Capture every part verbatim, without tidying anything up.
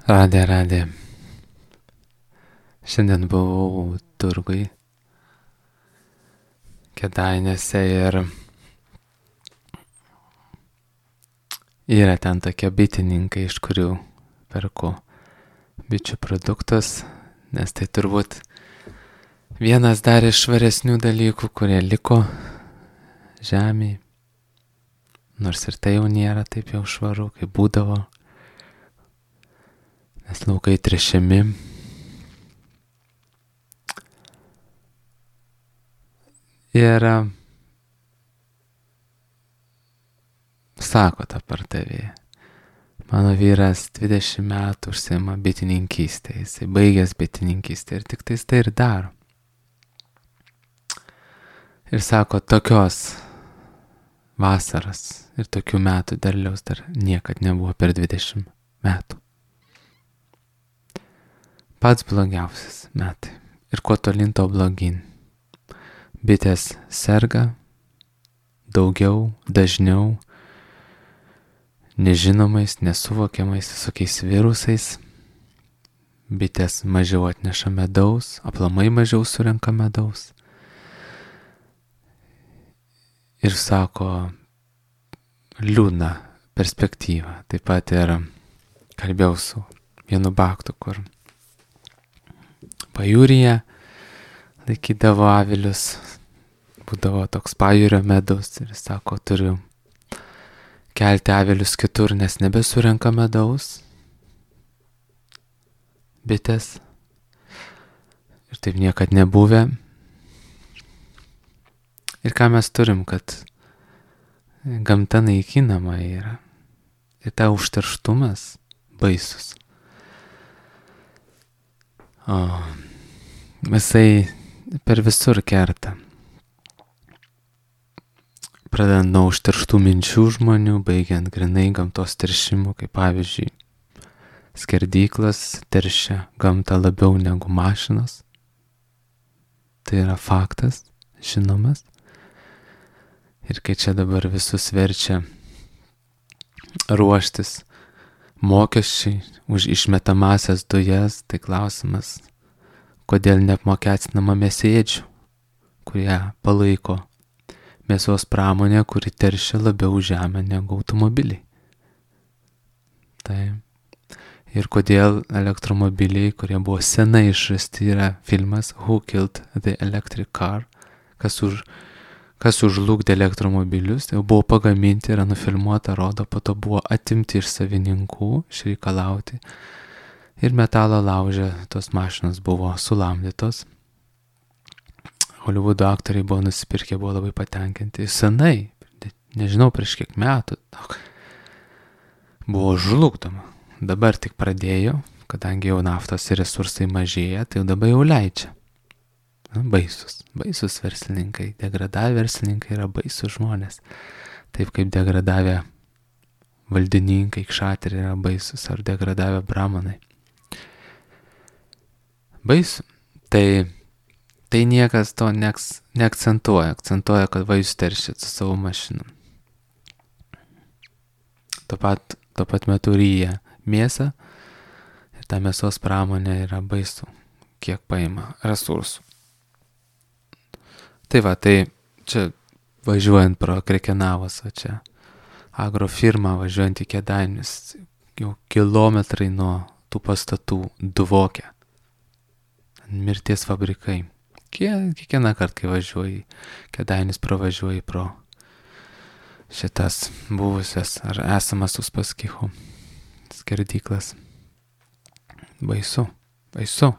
Radė, radė. Šiandien buvau turgui Kėdainiuose ir yra ten tokie bitininkai, iš kurių perku bičių produktus, nes tai turbūt vienas dar iš švaresnių dalykų, kurie liko žemėje. Nors ir tai jau nėra taip jau švaru, kaip būdavo, nes laukai tręšiami. Ir sako ta pardavėja, mano vyras dvidešimt metų užsiima bitininkystę, jisai baigęs bitininkystę ir tik tais tai ir daro. Ir sako, tokios vasaros ir tokių metų derliaus dar niekad nebuvo per dvidešimt metų. Pats blogiausias metai. Ir kuo tolyn to blogyn. Bitės serga daugiau, dažniau, nežinomais, nesuvokiamais visokiais virusais. Bitės mažiau atneša medaus, aplamai mažiau surenka medaus. Ir sako, liūdna perspektyva. Taip pat ir kalbėjau su vienu baktu, kur pajūryje laikydavo avilius, būdavo toks pajūrio medus ir sako, turiu kelti avilius kitur, nes nebesurenka medaus bitės ir taip niekad nebuvę. Ir ką mes turim, kad gamta naikinama yra ir ta užterštumas baisus. O visai per visur kerta. Pradedant nuo užterštų minčių žmonių, baigiant grinai gamtos teršimu, kaip pavyzdžiui, skerdyklas teršia gamtą labiau negu mašinos. Tai yra faktas, žinomas. Ir kai čia dabar visus verčia ruoštis mokesčiai už išmetamasias dujas, tai klausimas, kodėl neapmokestinama mėsėdžių, kurie palaiko mėsos pramonę, kuri teršia labiau žemę negu automobiliai. Tai. Ir kodėl elektromobiliai, kurie buvo senai išrasti, yra filmas Who Killed the Electric Car, kas, už, kas užlugdė elektromobilius, tai jau buvo pagaminti, yra nufilmuota, rodo, po to buvo atimti iš savininkų, išreikalauti. Ir metalo lauže tos mašinos buvo sulamdytos. Holivudo aktoriai buvo nusipirkę, buvo labai patenkinti. Senai, nežinau prieš kiek metų, buvo žlugdoma. Dabar tik pradėjo, kadangi jau naftos resursai mažėja, tai jau dabar jau leidžia. Na, baisus, baisus verslininkai, degradavę verslininkai yra baisus žmonės. Taip kaip degradavę valdininkai, kšateriai yra baisus, ar degradavę bramonai. Baisu. Tai, tai niekas to neaks, neakcentuoja. Akcentuoja, kad va jūs teršit su savo mašinom. Tuo pat, tuo pat metu ryja mėsą ir ta mėsos pramonė yra baisu, kiek paima resursų. Tai va, tai čia važiuojant pro Krekenavos, o čia agrofirma važiuojant į Kėdainius, jau kilometrai nuo tų pastatų dvokia. Mirties fabrikai. Kiekvieną kartą, kai važiuoji Kėdainius, pravažiuoji pro šitas buvusias ar esamas Uspaskicho skerdyklas. Baisu, baisu.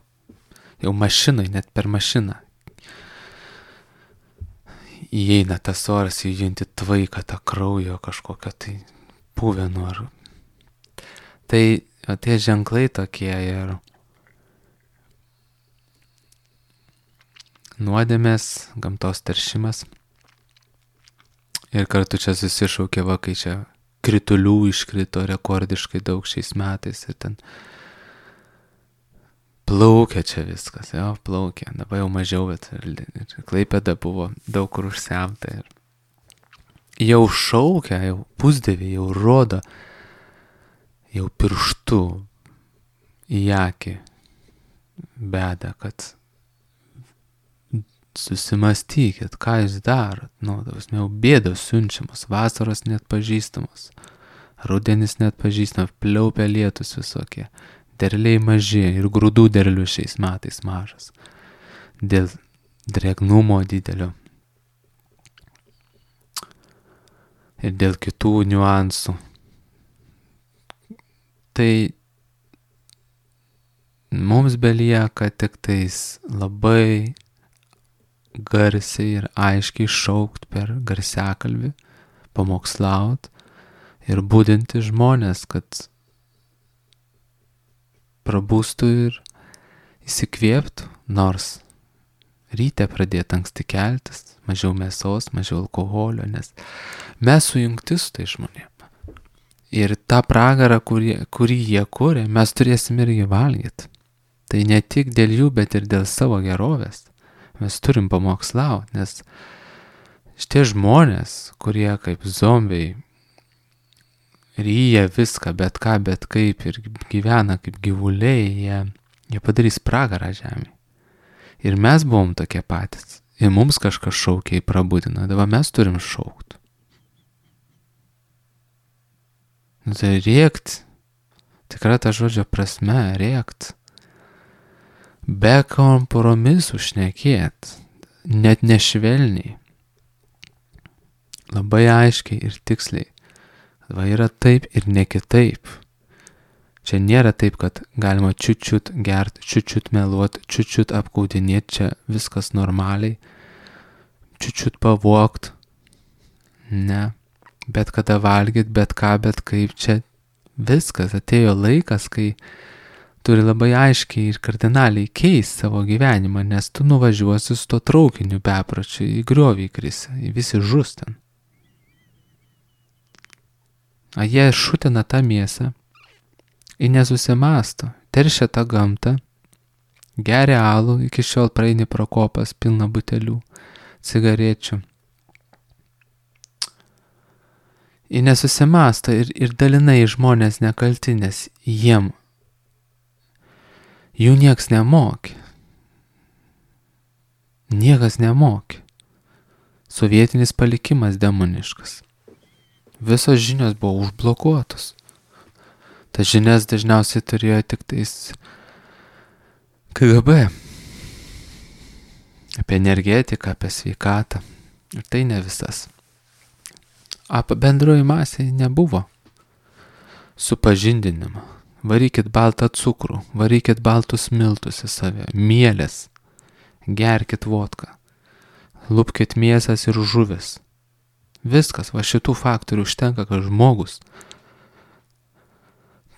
Jau mašinai, net per mašiną įeina tas oras, įjunti tvaiką tą kraujo kažkokią tai puvenų. Ar... Tai o tie ženklai tokie ir nuodėmės, gamtos teršimas. Ir kartu čia susišaukė, va, kai čia kritulių iškrito rekordiškai daug šiais metais ir ten plaukia čia viskas, jo, plaukia. Dabar jau mažiau, bet ir, ir Klaipėda buvo daug kur užsemta. Ir jau šaukia, jau pusdėvė, jau rodo, jau pirštu į akį beda, kad susimastykit, ką jūs darot. Nu, jau bėdos siunčiamos, vasaros net pažįstamos, rudenis net pažįstamos, pliaupia lietus visokie, derliai maži ir grūdų derlių šiais metais mažas. Dėl drėgnumo didelio ir dėl kitų niuansų. Tai mums belieka tik tais labai garsiai ir aiškiai šaukt per garsiakalbį, pamokslaut ir budinti žmonės, kad prabūstų ir įsikvėptų, nors ryte pradėti anksti keltis, mažiau mėsos, mažiau alkoholio, nes mes sujungti su tai žmonėm. Ir tą pragarą, kurį, kurį jie kuria, mes turėsim irgi valgyti. Tai ne tik dėl jų, bet ir dėl savo gerovės. Mes turim pamokslauti, nes šitie žmonės, kurie kaip zombiai ryja viską, bet ką, bet kaip ir gyvena kaip gyvuliai, jie, jie padarys pragarą žemėje. Ir mes buvom tokie patys. Ir mums kažkas šaukia į prabudiną. Dabar mes turim šaukt. Nu, tai rėkt. Tikra ta žodžio prasme, rėkt. Be kompromisų šnekėt. Net nešvelniai. Labai aiškiai ir tiksliai. Va yra taip ir ne kitaip. Čia nėra taip, kad galima čiut-čiut gert, čiut-čiut meluot, čiut-čiut apgaudinėt, čia viskas normaliai, čiut-čiut pavogt. Ne, bet kada valgyt, bet ką, bet kaip, čia viskas. Atėjo laikas, kai turi labai aiškiai ir kardinaliai keisti savo gyvenimą, nes tu nuvažiuosi su to traukiniu bepročiu, į griovį įkrisi, visi žus ten. A jie šutina tą mėsą, į nesusimasto, teršia tą gamtą, geria alų, iki šiol praeini pro kopas pilna butelių, cigarečių. Į nesusimasto ir, ir dalinai žmonės nekalti, nes jiem jų nieks nemokė. Niekas nemokė. Sovietinis palikimas demoniškas. Visos žinios buvo užblokuotos. Tas žinias dažniausiai turėjo tik tais K G B. Apie energetiką, apie sveikatą. Ir tai ne visas. Apie bendroji masė nebuvo supažindinimo. Varykit baltą cukrų, varykit baltus miltus į save, mielės, gerkit vodką, lupkit mėsas ir žuvis. Viskas, va šitų faktorių užtenka, kad žmogus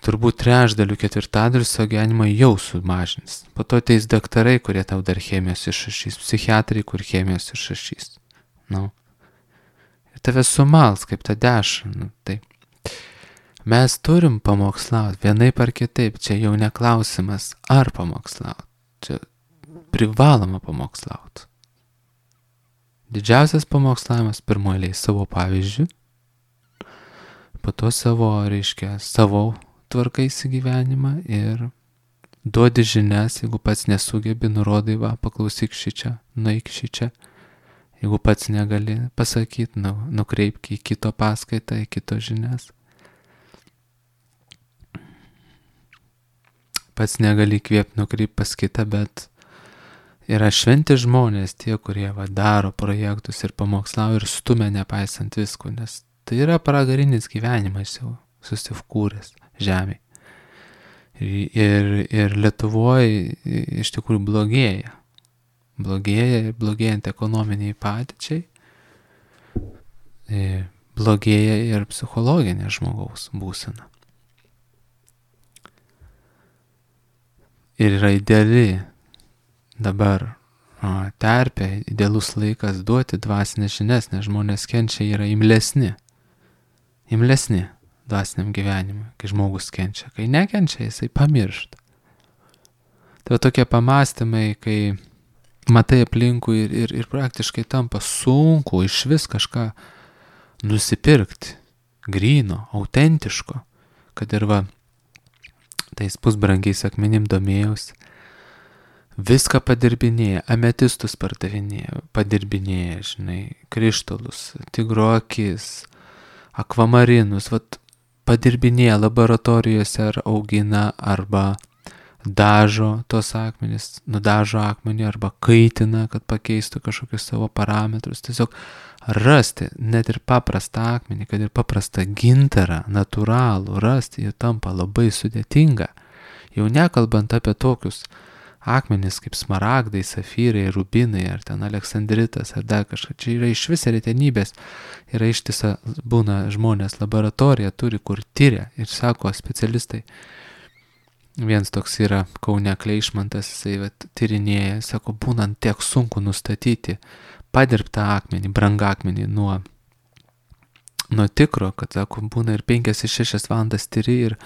turbūt trečdalių, ketvirtadalių savo gyvenimą jau sumažins. Po to ateis daktarai, kurie tau dar chemijos išrašys, psichiatrai, kur chemijos išrašys. Nu. Ir tave sumals kaip tą dešrą. Nu, tai. Mes turim pamokslauti vienaip ar kitaip. Čia jau neklausimas, ar pamokslauti. Čia privaloma pamokslauti. Didžiausias pamokslavimas pirmoje savo pavyzdžių, po to savo, reiškia, savo tvarkaisi gyvenimą ir duodi žinias, jeigu pats nesugebi, nurodai, va, paklausyk šičia, nueik šičia. Jeigu pats negali pasakyti, nu, nukreipk į kito paskaitą, į kito žinias. Pats negali įkvėpti, nukreipti pas kitą, bet yra šventi žmonės, tie, kurie va, daro projektus ir pamokslauja ir stumia nepaisant visko, nes tai yra pragarinis gyvenimas jau susifkūręs žemėje. Ir, ir, ir Lietuvoje iš tikrųjų blogėja. Blogėja ir blogėjant ekonominiai padėčiai, blogėja ir psichologinė žmogaus būsena. Ir yra ideali dabar o, terpė, idealus laikas duoti dvasinės žinias, nes žmonės kenčia yra imlesni. Imlesni dvasiniam gyvenimui, kai žmogus kenčia. Kai nekenčia, jisai pamiršta. Tai va tokie pamastymai, kai matai aplinkui ir, ir, ir praktiškai tampa sunku iš vis kažką nusipirkti, gryno, autentiško, kad ir va tais pusbrangiais akmenim domėjausi. Viską padirbinėja, ametistus pardavinėja, padirbinėja, žinai, krištolus, tigro akis, akvamarinus, vat padirbinėja laboratorijose ar augina arba dažo tos akmenis, nudažo akmenį arba kaitina, kad pakeistų kažkokius savo parametrus. Tiesiog rasti net ir paprastą akmenį, kad ir paprastą gintarą, natūralų, rasti jų tampa labai sudėtinga. Jau nekalbant apie tokius akmenis kaip smaragdai, safyrai, rubinai ar ten aleksandritas ar dar kažką. Čia yra iš vis retenybės. Yra ištisa, būna žmonės laboratorija turi, kur tyria ir sako specialistai. Vienas toks yra Kaune Kleišmantas, jisai vat, tyrinėja, sako, būnant tiek sunku nustatyti padirbtą akmenį, brangakmenį nuo, nuo tikro, kad, sako, būna ir penkias ir šešias valandas tyri ir,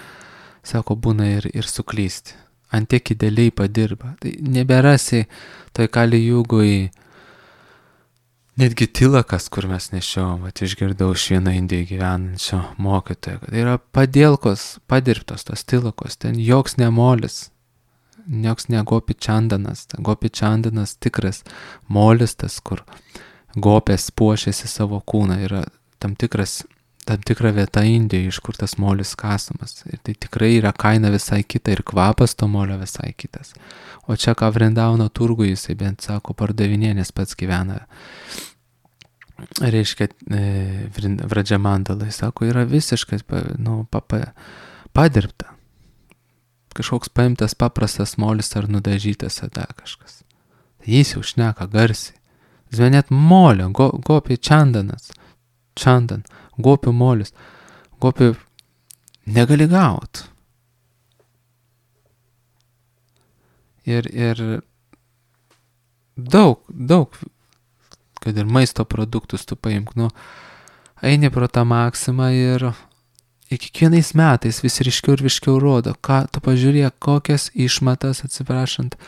sako, būna ir, ir suklysti. Ant tiek idealiai padirba. Tai neberasi toj Kali Jugoj netgi tilakas, kur mes nešiom, vat išgirdau iš vieno Indijoje gyvenančio mokytojo, kad yra padėlkos, padirbtos tos tilakos, ten joks nemolis, joks ne gopi čandanas, gopi čandanas tikras molis, tas, kur gopės puošiasi savo kūną, yra tam tikras tam tikra vieta Indijoje, iš kur tas molis kasamas. Ir tai tikrai yra kaina visai kita ir kvapas to molio visai kitas. O čia ką Vrindauno turgui jisai bent sako pardavinė, nes pats gyvena. Reiškia, e, Vradžamandalai, sako, yra visiškai nu, papa, padirbta. Kažkoks paimtas paprastas molis ar nudažytas ar dar kažkas. Jis jau šneka garsiai. Jis net molio, go, gopi čandanas, čandan. Gopių molis, gopių negali gaut. Ir, ir daug, daug, kad ir maisto produktus tu paimk, nu, eini pro tą Maksimą ir kiekvienais metais vis ryškiau ir ryškiau rodo, ką tu pažiūrėk, kokias išmatas, atsiprašant,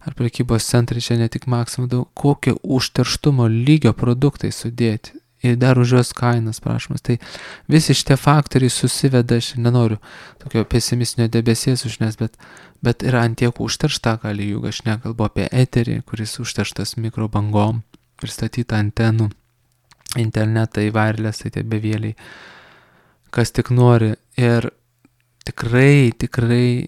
ar prekybos centrai čia ne tik Maksima, daug, kokie užterštumo lygio produktai sudėti. Ir dar už jos kainas prašomas. Tai visi šitie faktoriai susiveda, aš nenoriu tokio pesimistinio debesies užnes, bet, bet yra antiek užteršta Kali Juga, aš nekalbu apie eterį, kuris užterštas mikrobangom, pristatyta antenų, internetai, wirelessai, tie bevėliai, kas tik nori. Ir tikrai, tikrai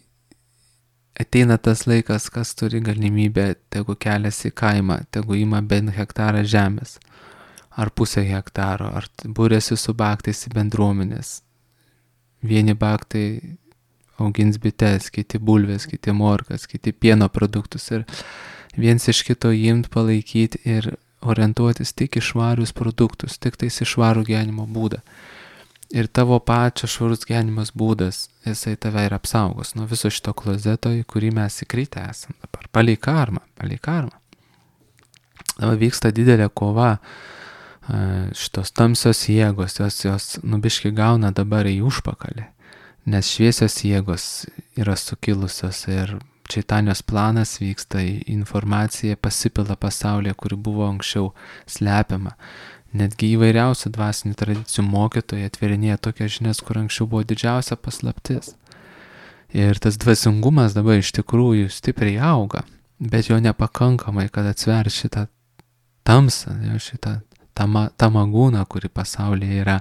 ateina tas laikas, kas turi galimybę, tegu keliasi į kaimą, tegu ima bent hektarą žemės. Ar pusę hektaro, ar būrėsi su baktais į bendruomenės. Vieni baktai augins bites, kiti bulvės, kiti morkas, kiti pieno produktus ir viens iš kito imt, palaikyti ir orientuotis tik į švarius produktus, tik tais į švarų gyvenimo būdą. Ir tavo pačio švarus gyvenimas būdas, jisai tave ir apsaugos nuo viso šito klozeto, į kurį mes įkritę esam dabar. Palei karmą, palei karmą. Dabar vyksta didelė kova. Šitos tamsios jėgos, jos, jos nubiški gauna dabar į užpakalį, nes šviesios jėgos yra sukilusios ir Čaitanijos planas vyksta, informacija pasipila pasaulyje, kuri buvo anksčiau slepiama. Netgi įvairiausių dvasinių tradicijų mokytojai atverinėja tokias žinias, kur anksčiau buvo didžiausia paslaptis. Ir tas dvasingumas dabar iš tikrųjų stipriai auga, bet jo nepakankamai, kad atsver šitą tamsą, šitą Tama, tamagūna, kuri pasaulyje yra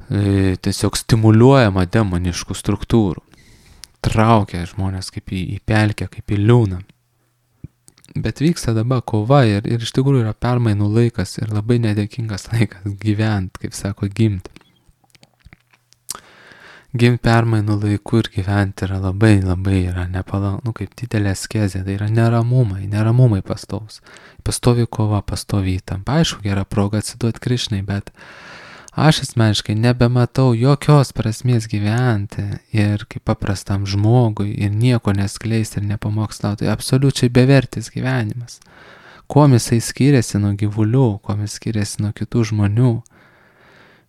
e, tiesiog stimuliuojama demoniškų struktūrų. Traukia žmonės kaip į, į pelkę, kaip į liūną. Bet vyksta dabar kova ir, ir iš tikrųjų yra permainų laikas ir labai nedėkingas laikas gyvent, kaip sako, gimt. Gimt permainų laiku ir gyventi yra labai, labai yra nepalanku, nu, kaip didelė askezė, tai yra neramumai, neramumai pastovis. Pastovi kova, pastovi įtampa. Aišku, gera proga atsiduoti Krišnai, bet aš asmeniškai nebematau jokios prasmės gyventi ir kaip paprastam žmogui ir nieko neskleisti ir nepamokslauti. Tai absoliučiai bevertis gyvenimas. Kuom jisai skiriasi nuo gyvulių, kuom jis skiriasi nuo kitų žmonių.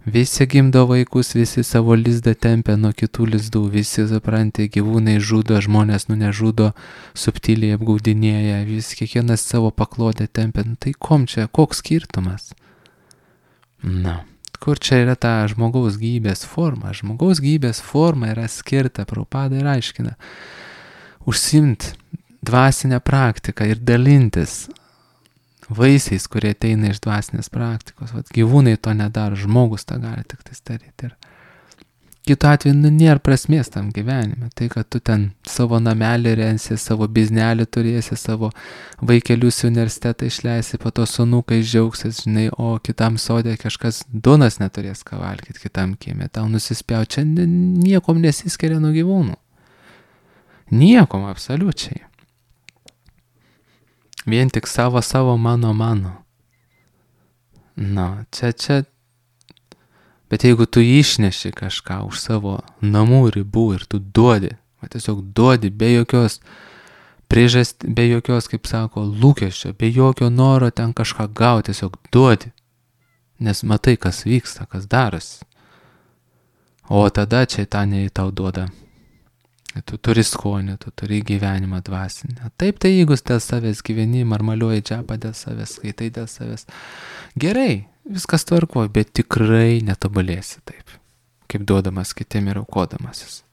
Visi gimdo vaikus, visi savo lizdą tempia nuo kitų lizdų, visi, supranti, gyvūnai žudo, žmonės nu nežudo, subtiliai apgaudinėja, vis kiekvienas savo paklodę tempia. Nu, tai kom čia, koks skirtumas? Na, kur čia yra ta žmogaus gyvybės forma? Žmogaus gyvybės forma yra skirta, Prabhupada ir aiškina, užsiimti dvasinę praktiką ir dalintis vaisiais, kurie ateina iš dvasinės praktikos. Vat gyvūnai to nedaro, žmogus tą gali tik tai daryti. Ir kitu atveju nu, nėra prasmės tam gyvenime. Tai, kad tu ten savo namelį rensi, savo biznelį turėsi, savo vaikelius į universitetą išleisi, po to sunukai džiaugsis, žinai, o kitam sodė kažkas duonos neturės ką valgyti, kitam kiemė. Tau nusispjau, čia niekom nesiskiria nuo gyvūnų. Niekom, absoliučiai. Vien tik savo, savo, mano, mano. Na, čia, čia. Bet jeigu tu išneši kažką už savo namų ribų ir tu duodi, va tiesiog duodi be jokios priežasties, be jokios, kaip sako, lūkesčio, be jokio noro ten kažką gauti, tiesiog duodi. Nes matai, kas vyksta, kas darosi. O tada čia tą nei tau duoda. Tu turi skonį, tu turi gyvenimą dvasinę. Taip, tai jeigu dėl savęs gyveni, marmaliuoji džapą dėl savęs, skaitai dėl savęs. Gerai, viskas tvarkoja, bet tikrai netobulėsi taip, kaip duodamas kitiem ir aukodamasis.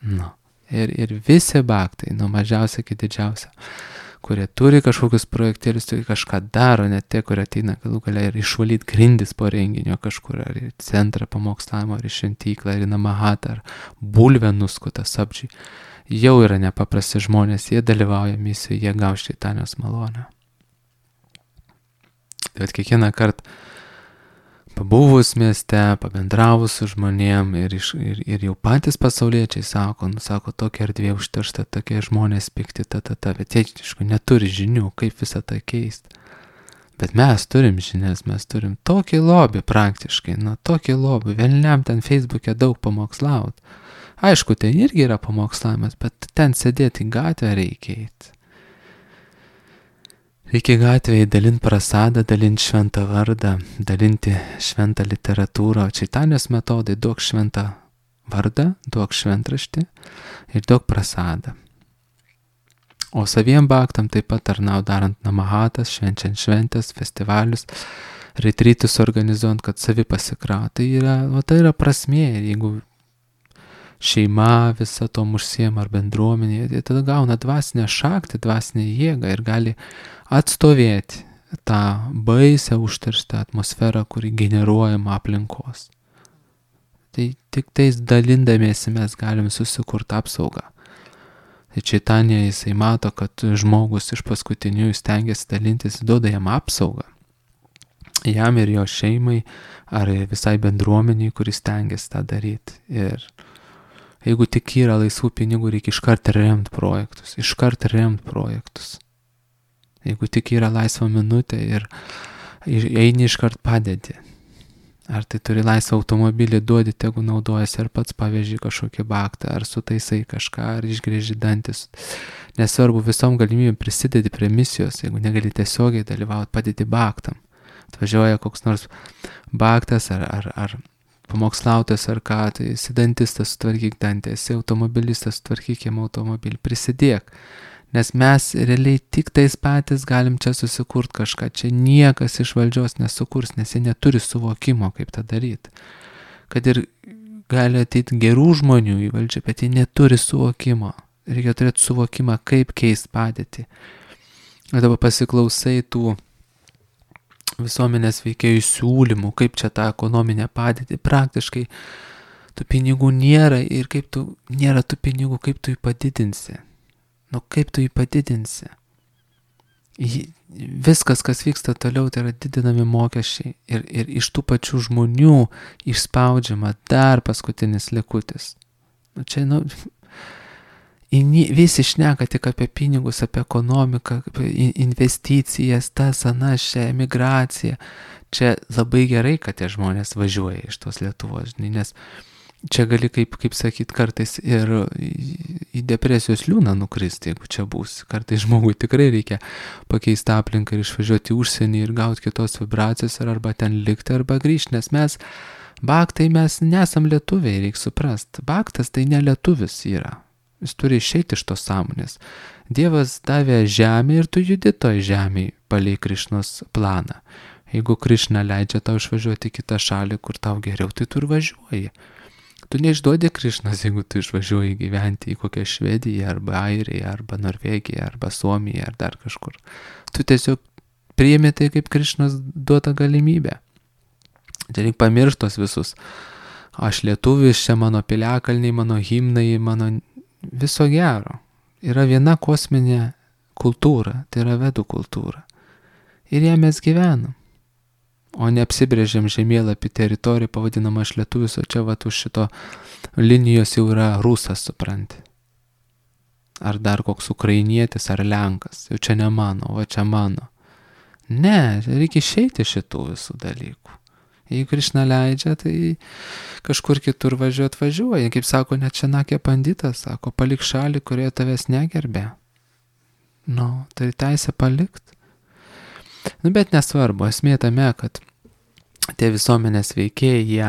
Nu, ir, ir visi bhaktai, nuo mažiausia iki didžiausia, kurie turi kažkokius projektėlius, turi kažką daro, net tie, kurie ateina galų galia ir išvalyti grindis po renginio kažkur, ar į centrą pamokslavimo, ar į šventyklą, ar į namahatą, ar bulvę nuskuta sapčiai, jau yra nepaprasti žmonės, jie dalyvauja misijoje, jie gaus šeitanijos malonę. Tai vat kiekvieną kartą pabuvus mieste, pabendravus su žmonėm ir, iš, ir, ir jau patys pasauliečiai sako, nu, sako, tokia erdvė užteršta, tokie žmonės pikti, ta, ta, ta, bet jie, aišku, neturi žinių, kaip visą tą keisti. Bet mes turim žinias, mes turim tokį lobį praktiškai, nu, tokį lobį, velniam ten Facebook'e daug pamokslaut. Aišku, ten irgi yra pamokslavimas, bet ten sėdėti į gatvę reikia eiti. Reikia gatvėje dalinti prasadą, dalinti šventą vardą, dalinti šventą literatūrą. Čaitanijos metodai: duok šventą vardą, duok šventraštį ir duok prasadą. O saviem bhaktam taip pat tarnau darant namahatas, švenčiant šventės, festivalius, retrytus organizuojant, kad savi pasikraut. Tai yra, o tai yra prasmė. Jeigu šeima visą tom užsiema ar bendruomenė, tai tada gauna dvasinę šaktį, dvasinę jėgą ir gali atstovėti tą baisę užterštą atmosferą, kuri generuojama aplinkos. Tai tik tais dalindamiesi mes galim susikurti apsaugą. Tai Čaitanija jisai mato, kad žmogus iš paskutinių stengiasi dalintis, duoda jam apsaugą. Jam ir jo šeimai ar visai bendruomeniai, kuris stengiasi tą daryti. Ir jeigu tik yra laisvų pinigų, reikia iškart remti projektus, iškart remti projektus. Jeigu tik yra laisva minutė ir eini iškart padedi. Ar tai turi laisvą automobilį, duodi, tegu naudojasi, ar pats paveži kažkokį bhaktą, ar sutaisai kažką, ar išgrėži dantis. Nesvarbu, visom galimybėm prisidedi prie misijos, jeigu negali tiesiogiai dalyvauti, padedi bhaktam. Atvažiuoja koks nors bhaktas ar, ar, ar pamokslautas ar ką, tai esi dantistas, sutvarkyk dantį, esi automobilistas, sutvarkyk jam automobilį, prisidėk. Nes mes realiai tik tais patys galim čia susikurti kažką, čia niekas iš valdžios nesukurs, nes jie neturi suvokimo, kaip tą daryti. Kad ir gali ateiti gerų žmonių į valdžią, bet jie neturi suvokimo. Reikia turėti suvokimą, kaip keisti padėtį. O dabar pasiklausai tų visuomenės veikėjų siūlymų, kaip čia tą ekonominę padėtį, praktiškai tų pinigų nėra ir kaip tu, nėra tų pinigų, kaip tu jį padidinsi. Nu kaip tu jį padidinsi? Viskas, kas vyksta toliau, tai yra didinami mokesčiai ir, ir iš tų pačių žmonių išspaudžiama dar paskutinis likutis. Nu čia, nu, visi šneka tik apie pinigus, apie ekonomiką, apie investicijas, tas, anas, čia emigracija. Čia labai gerai, kad tie žmonės važiuoja iš tos Lietuvos, žinai, nes čia gali, kaip, kaip sakyt, kartais ir į depresijos liūną nukristi, jeigu čia būsi. Kartais žmogui tikrai reikia pakeisti aplinką ir išvažiuoti į užsienį ir gauti kitos vibracijos, ar arba ten likti, arba grįžti, nes mes, bhaktai, mes nesam lietuviai, reikia suprasti. Bhaktas tai ne lietuvis yra. Jis turi išeiti iš tos sąmonės. Dievas davė žemę ir tu judi toj žemėj palei Krišnos planą. Jeigu Krišna leidžia tau išvažiuoti į kitą šalį, kur tau geriau, tai tu ir važiuoji. Tu neišduodi Krišnas, jeigu tu išvažiuoji gyventi į kokią Švediją, arba Airiją, arba Norvegiją, arba Suomiją, ar dar kažkur. Tu tiesiog priimi tai kaip Krišnas duota galimybė. Tai reikia pamirštos visus. Aš lietuvis, čia mano piliakalniai, mano himnai, mano viso gero. Yra viena kosminė kultūra, tai yra vedų kultūra. Ir ją mes gyvenam. O neapsibrėžiam žemėlapį teritoriją, pavadinamą aš lietuvis, o čia vat už šito linijos jau yra rusas, supranti. Ar dar koks ukrainietis, ar lenkas. Jau čia ne mano, o čia mano. Ne, reikia išeiti šitų visų dalykų. Jeigu Krišna leidžia, tai kažkur kitur važiuot važiuoja. Kaip sako, net Čenakė panditas, sako, palik šalį, kurioje tavęs negerbė. Nu, tai teisė palikt. Nu, bet nesvarbu, esmė tame, kad tie visuomenės veikėjai, jie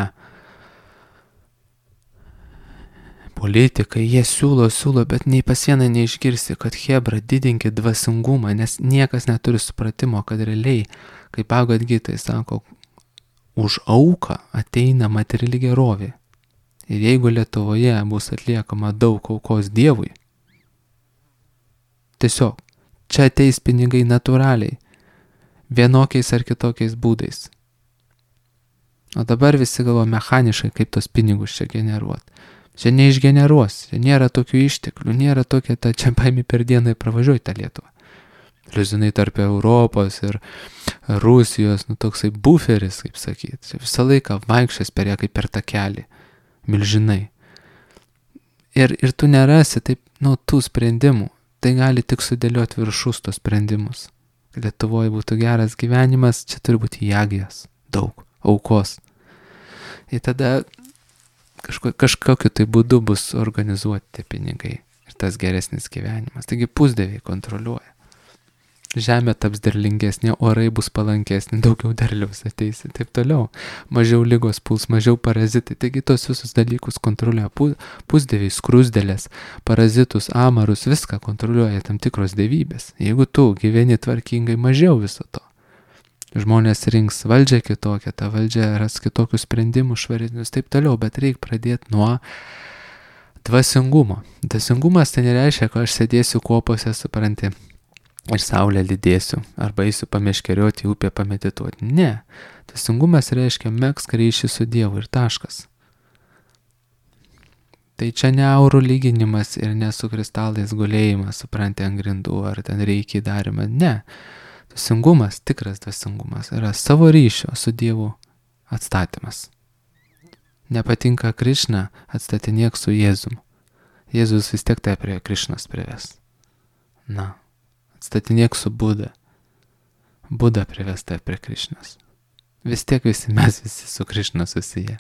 politikai, jie siūlo, siūlo, bet nei pas vieną neišgirsi, kad hebra didinkit dvasingumą, nes niekas neturi supratimo, kad realiai, kaip Bhagavad Gita sako, už auką ateina materiali gerovė. Ir jeigu Lietuvoje bus atliekama daug aukos Dievui, tiesiog čia ateis pinigai natūraliai, vienokiais ar kitokiais būdais. O dabar visi galvo mechaniškai, kaip tos pinigus čia generuoti. Čia neišgeneruos, čia nėra tokių išteklių, nėra tokia, ta čia paimi per dieną ir pravažiuoji tą Lietuvą. Liuzinai tarp Europos ir Rusijos, nu toksai buferis, kaip sakyti. Čia visą laiką vaikščias per ją kaip per takelį, milžinai. Ir, ir tu nerasi taip, nu, tų sprendimų. Tai gali tik sudėlioti viršus tos sprendimus. Lietuvoje būtų geras gyvenimas, čia turi būti jagijas, daug, aukos. Ir tada kažko, kažkokiu tai būdu bus organizuoti tie pinigai ir tas geresnis gyvenimas. Taigi pusdieviai kontroliuoja. Žemė taps derlingesnė, orai bus palankesnė, daugiau derliaus ateis ir taip toliau. Mažiau ligos puls, mažiau parazitai. Taigi tos visus dalykus kontroliuoja pusdieviai, skrusdėlės, parazitus, amarus, viską kontroliuoja tam tikros dievybės. Jeigu tu gyveni tvarkingai, mažiau viso to. Žmonės rinks valdžią kitokią, ta valdžia ras kitokius sprendimus, švaresnius, taip toliau, bet reikia pradėti nuo dvasingumo. Dvasingumas tai nereiškia, kad aš sėdėsiu kopose, supranti, ir saulę lydėsiu, arba eisiu pameškerioti į upę pamedituoti. Ne. Dvasingumas reiškia megzk ryšį su Dievu ir taškas. Tai čia ne aurų lyginimas ir ne su kristalais gulėjimas, supranti, ant grindų, ar ten reikia darimą. Ne. Dvasingumas, tikras dvasingumas, yra savo ryšio su Dievu atstatymas. Nepatinka Krišna, atstatinėk su Jėzum. Jėzus vis tiek tai prie Krišnos prives. Na. Atstatinėk su Buda. Buda privesta prie Krišnos. Vis tiek visi mes visi su Krišna susiję.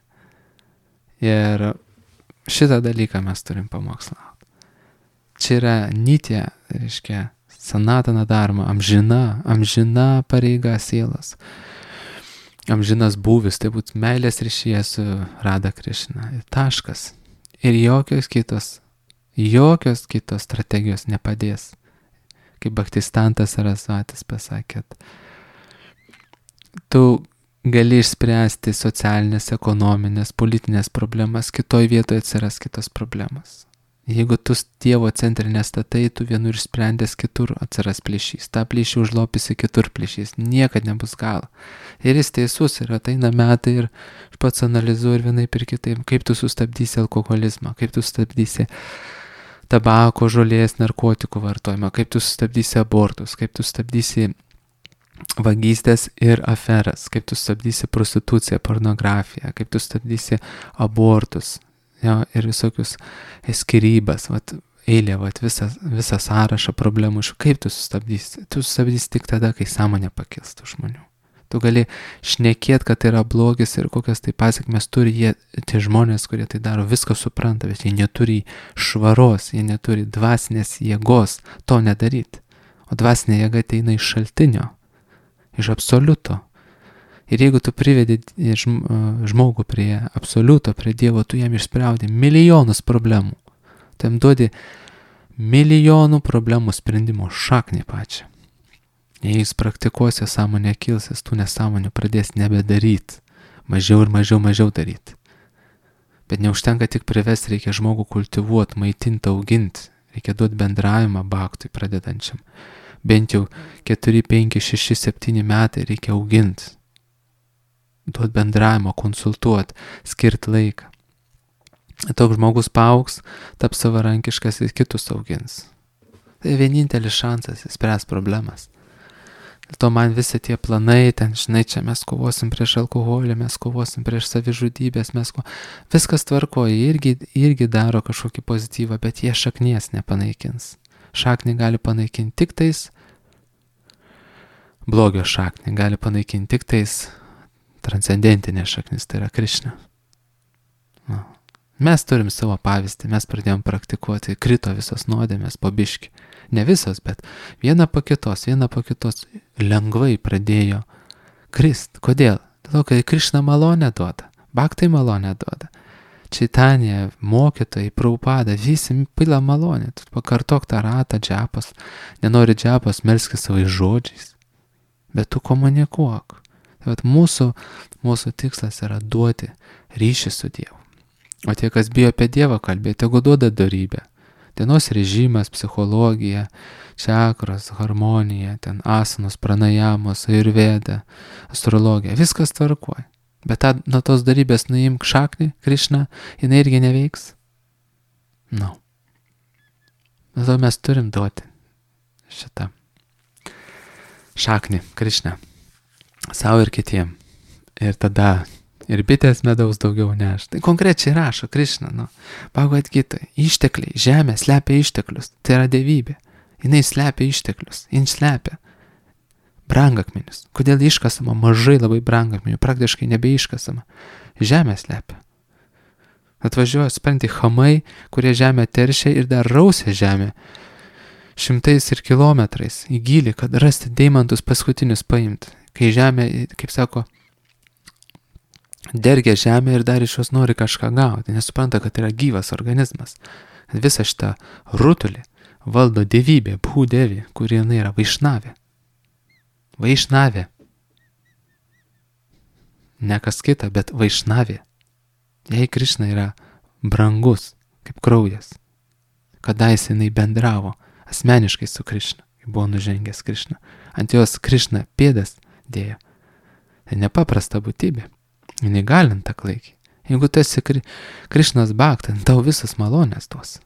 Ir šitą dalyką mes turim pamokslauti. Čia yra nitya, reiškia, sanatana dharma, amžina, amžina pareiga sielos. Amžinas būvis, tai būtų meilės ryšyje su Radha Krišna. Ir taškas. Ir jokios kitos, jokios kitos strategijos nepadės. Kaip Bhaktistantas Sarasvatis pasakė, tu gali išspręsti socialinės, ekonominės, politinės problemas, kitoj vietoje atsiras kitos problemas. Jeigu tu Dievo centre nestatai, tu vienur išsprendęs, kitur atsiras plyšys. Ta plyšį užlopysi, kitur plyšys. Niekad nebus galo. Ir jis teisus, ir ateina metai ir aš pats analizuoju ir vienaip ir kitaip, kaip tu sustabdysi alkoholizmą, kaip tu sustabdysi tabako, žolės, narkotikų vartojimą, kaip tu sustabdysi abortus, kaip tu sustabdysi vagystės ir aferas, kaip tu sustabdysi prostituciją, pornografiją, kaip tu sustabdysi abortus, jo, ir visokius skyrybas, vat, eilė, vat, visą, visą sąrašą problemų, kaip tu sustabdysi. Tu sustabdysi tik tada, kai sąmonė pakils tų žmonių. Tu gali šnekėti, kad tai yra blogis ir kokias tai pasiekmes turi jie, tie žmonės, kurie tai daro, viską supranta, bet jie neturi švaros, jie neturi dvasinės jėgos to nedaryti. O dvasinė jėga ateina iš šaltinio, iš absoliuto. Ir jeigu tu privedi žmogų prie absoliuto, prie Dievo, tu jam išsprendži milijonus problemų. Tu jam duodi milijonų problemų sprendimo šaknį pačią. Jei jis praktikuos, jo sąmonė kils, jis tų nesąmonių pradės nebedaryti. Mažiau ir mažiau, mažiau daryti. Bet neužtenka tik privesti, reikia žmogų kultivuoti, maitinti, auginti. Reikia duoti bendravimą baktui pradedančiam. Bent jau keturi, penki, šeši, septyni metai reikia auginti. Duoti bendravimą, konsultuoti, skirti laiką. Toks žmogus paaugs, taps savarankiškas ir kitus augins. Tai vienintelis šansas įspręs problemas. Dėl to man visi tie planai, ten, žinai, čia mes kovosim prieš alkoholį, mes kovosim prieš savižudybės, mes ko... Viskas tvarkoja, irgi, irgi daro kažkokį pozityvą, bet jie šaknies nepanaikins. Šaknį gali panaikinti tik tais, blogio šaknį gali panaikinti tik tais transcendentinė šaknis, tai yra Krišna. No. Mes turim savo pavyzdį, mes pradėjom praktikuoti, krito visos nuodėmės po biškį. Ne visos, bet viena po kitos, viena po kitos lengvai pradėjo krist. Kodėl? Dėl to, kad Krišna malonę duoda, Bhaktai malonę duoda. Čaitanija, mokytojai, Prabhupada, visi pila malonę. Tu pakartok tą ratą džapas, nenori džapas, melskis savais žodžiais, bet tu komunikuok. Tai vat mūsų, mūsų tikslas yra duoti ryšį su Dievu. O tie, kas bijo apie Dievą kalbėti, tegu duoda dorybę. Dienos režimas, psichologija, čakros, harmonija, ten asanos, pranajamos, ayurveda, astrologija, viskas tvarkoja. Bet tą, nuo tos darybės nuimk šaknį, Krišna, jinai irgi neveiks. No. Dėl to mes turim duoti šitą šaknį, Krišna, savo ir kitiem. Ir tada ir bitės medaus daugiau neš. Tai konkrečiai rašo Krišna, nu, Bhagavad Gita, ištekliai, žemė slepia išteklius, tai yra dievybė. Jinai slepia išteklius, jin slepia brangakmenius. Kodėl iškasama mažai labai brangakmenių, praktiškai nebeiškasama. Žemė slepia. Atvažiuoja, supranti, chamai, kurie žemę teršia ir dar rausia žemę šimtais ir kilometrais į gylį, kad rasti deimantus paskutinius paimti. Kai žemė, kaip sako, dergia žemę ir dar iš jos nori kažką gauti, nesupranta, kad yra gyvas organizmas. Visą šitą rutulį valdo dievybė, Bhūdevė, kuri jinai yra Vaišnavė. Vaišnavė. Ne kas kita, bet Vaišnavė. Jei Krišna yra brangus, kaip kraujas, kadais jinai bendravo asmeniškai su Krišna, kai buvo nužengęs Krišna. Ant jos Krišna pėdas dėjo. Tai nepaprasta būtybė. Jinai galinta klaikiai. Jeigu tu esi kri, Krišnos bhakta, tau visas malonės duos.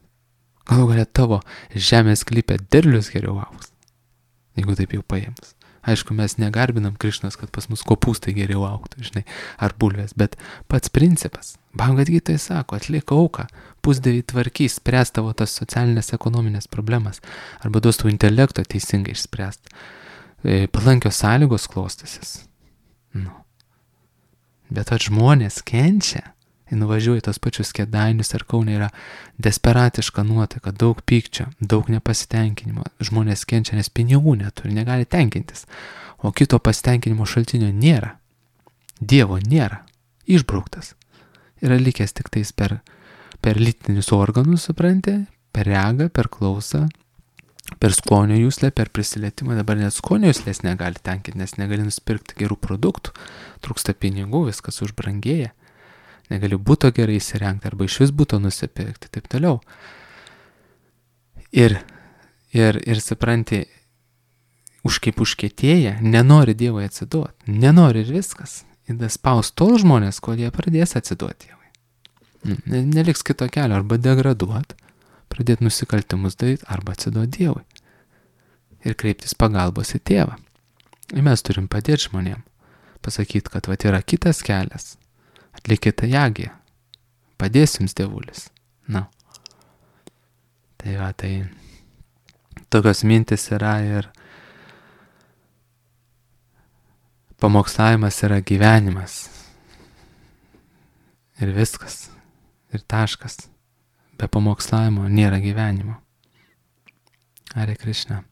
Galų galia tavo žemės klypė derlius geriau augs. Jeigu taip jau paėmus. Aišku, mes negarbinam Krišnos, kad pas mus kopūstai geriau augtų, žinai, ar bulvės, bet pats principas. Bhagavad Gita sako, atliek auką, pusdieviai tvarkys, spręs tavo tas socialinės ekonominės problemas, arba duos tavo intelekto teisingai išspręst. E, palankios sąlygos klostysis. Nu. Bet at žmonės kenčia, jie nuvažiuoja tos pačius Kėdainius ar Kaune, yra desperatiška nuotaika, daug pykčio, daug nepasitenkinimo. Žmonės kenčia, nes pinigų neturi, negali tenkintis. O kito pasitenkinimo šaltinio nėra. Dievo nėra. Išbrauktas. Yra likęs tik tais per, per lytinius organus, supranti, per regą, per klausą, per skonio juslę, per prisilietimą. Dabar net skonio juslės negali tenkinti, nes negali nusipirkti gerų produktų. Trūksta pinigų, viskas užbrangėja. Negali būto gerai įsirengti arba iš vis būto nusipirkti, taip toliau. Ir, ir, ir supranti, už kaip užkietėję, nenori Dievui atsiduoti, nenori ir viskas. Ir spaus tol žmonės, kol jie pradės atsiduoti Dievui. Neliks kito kelio, arba degraduoti, pradėti nusikaltimus daryti, arba atsiduoti Dievui. Ir kreiptis pagalbos į tėvą. Ir mes turim padėti žmonėm, pasakyti, kad vat yra kitas kelias. Atlikite jagiją. Padės jums dievulis. Na. Tai va, tai tokios mintis yra ir pamokslavimas yra gyvenimas. Ir viskas. Ir taškas. Be pamokslavimo nėra gyvenimo. Hare Krishna.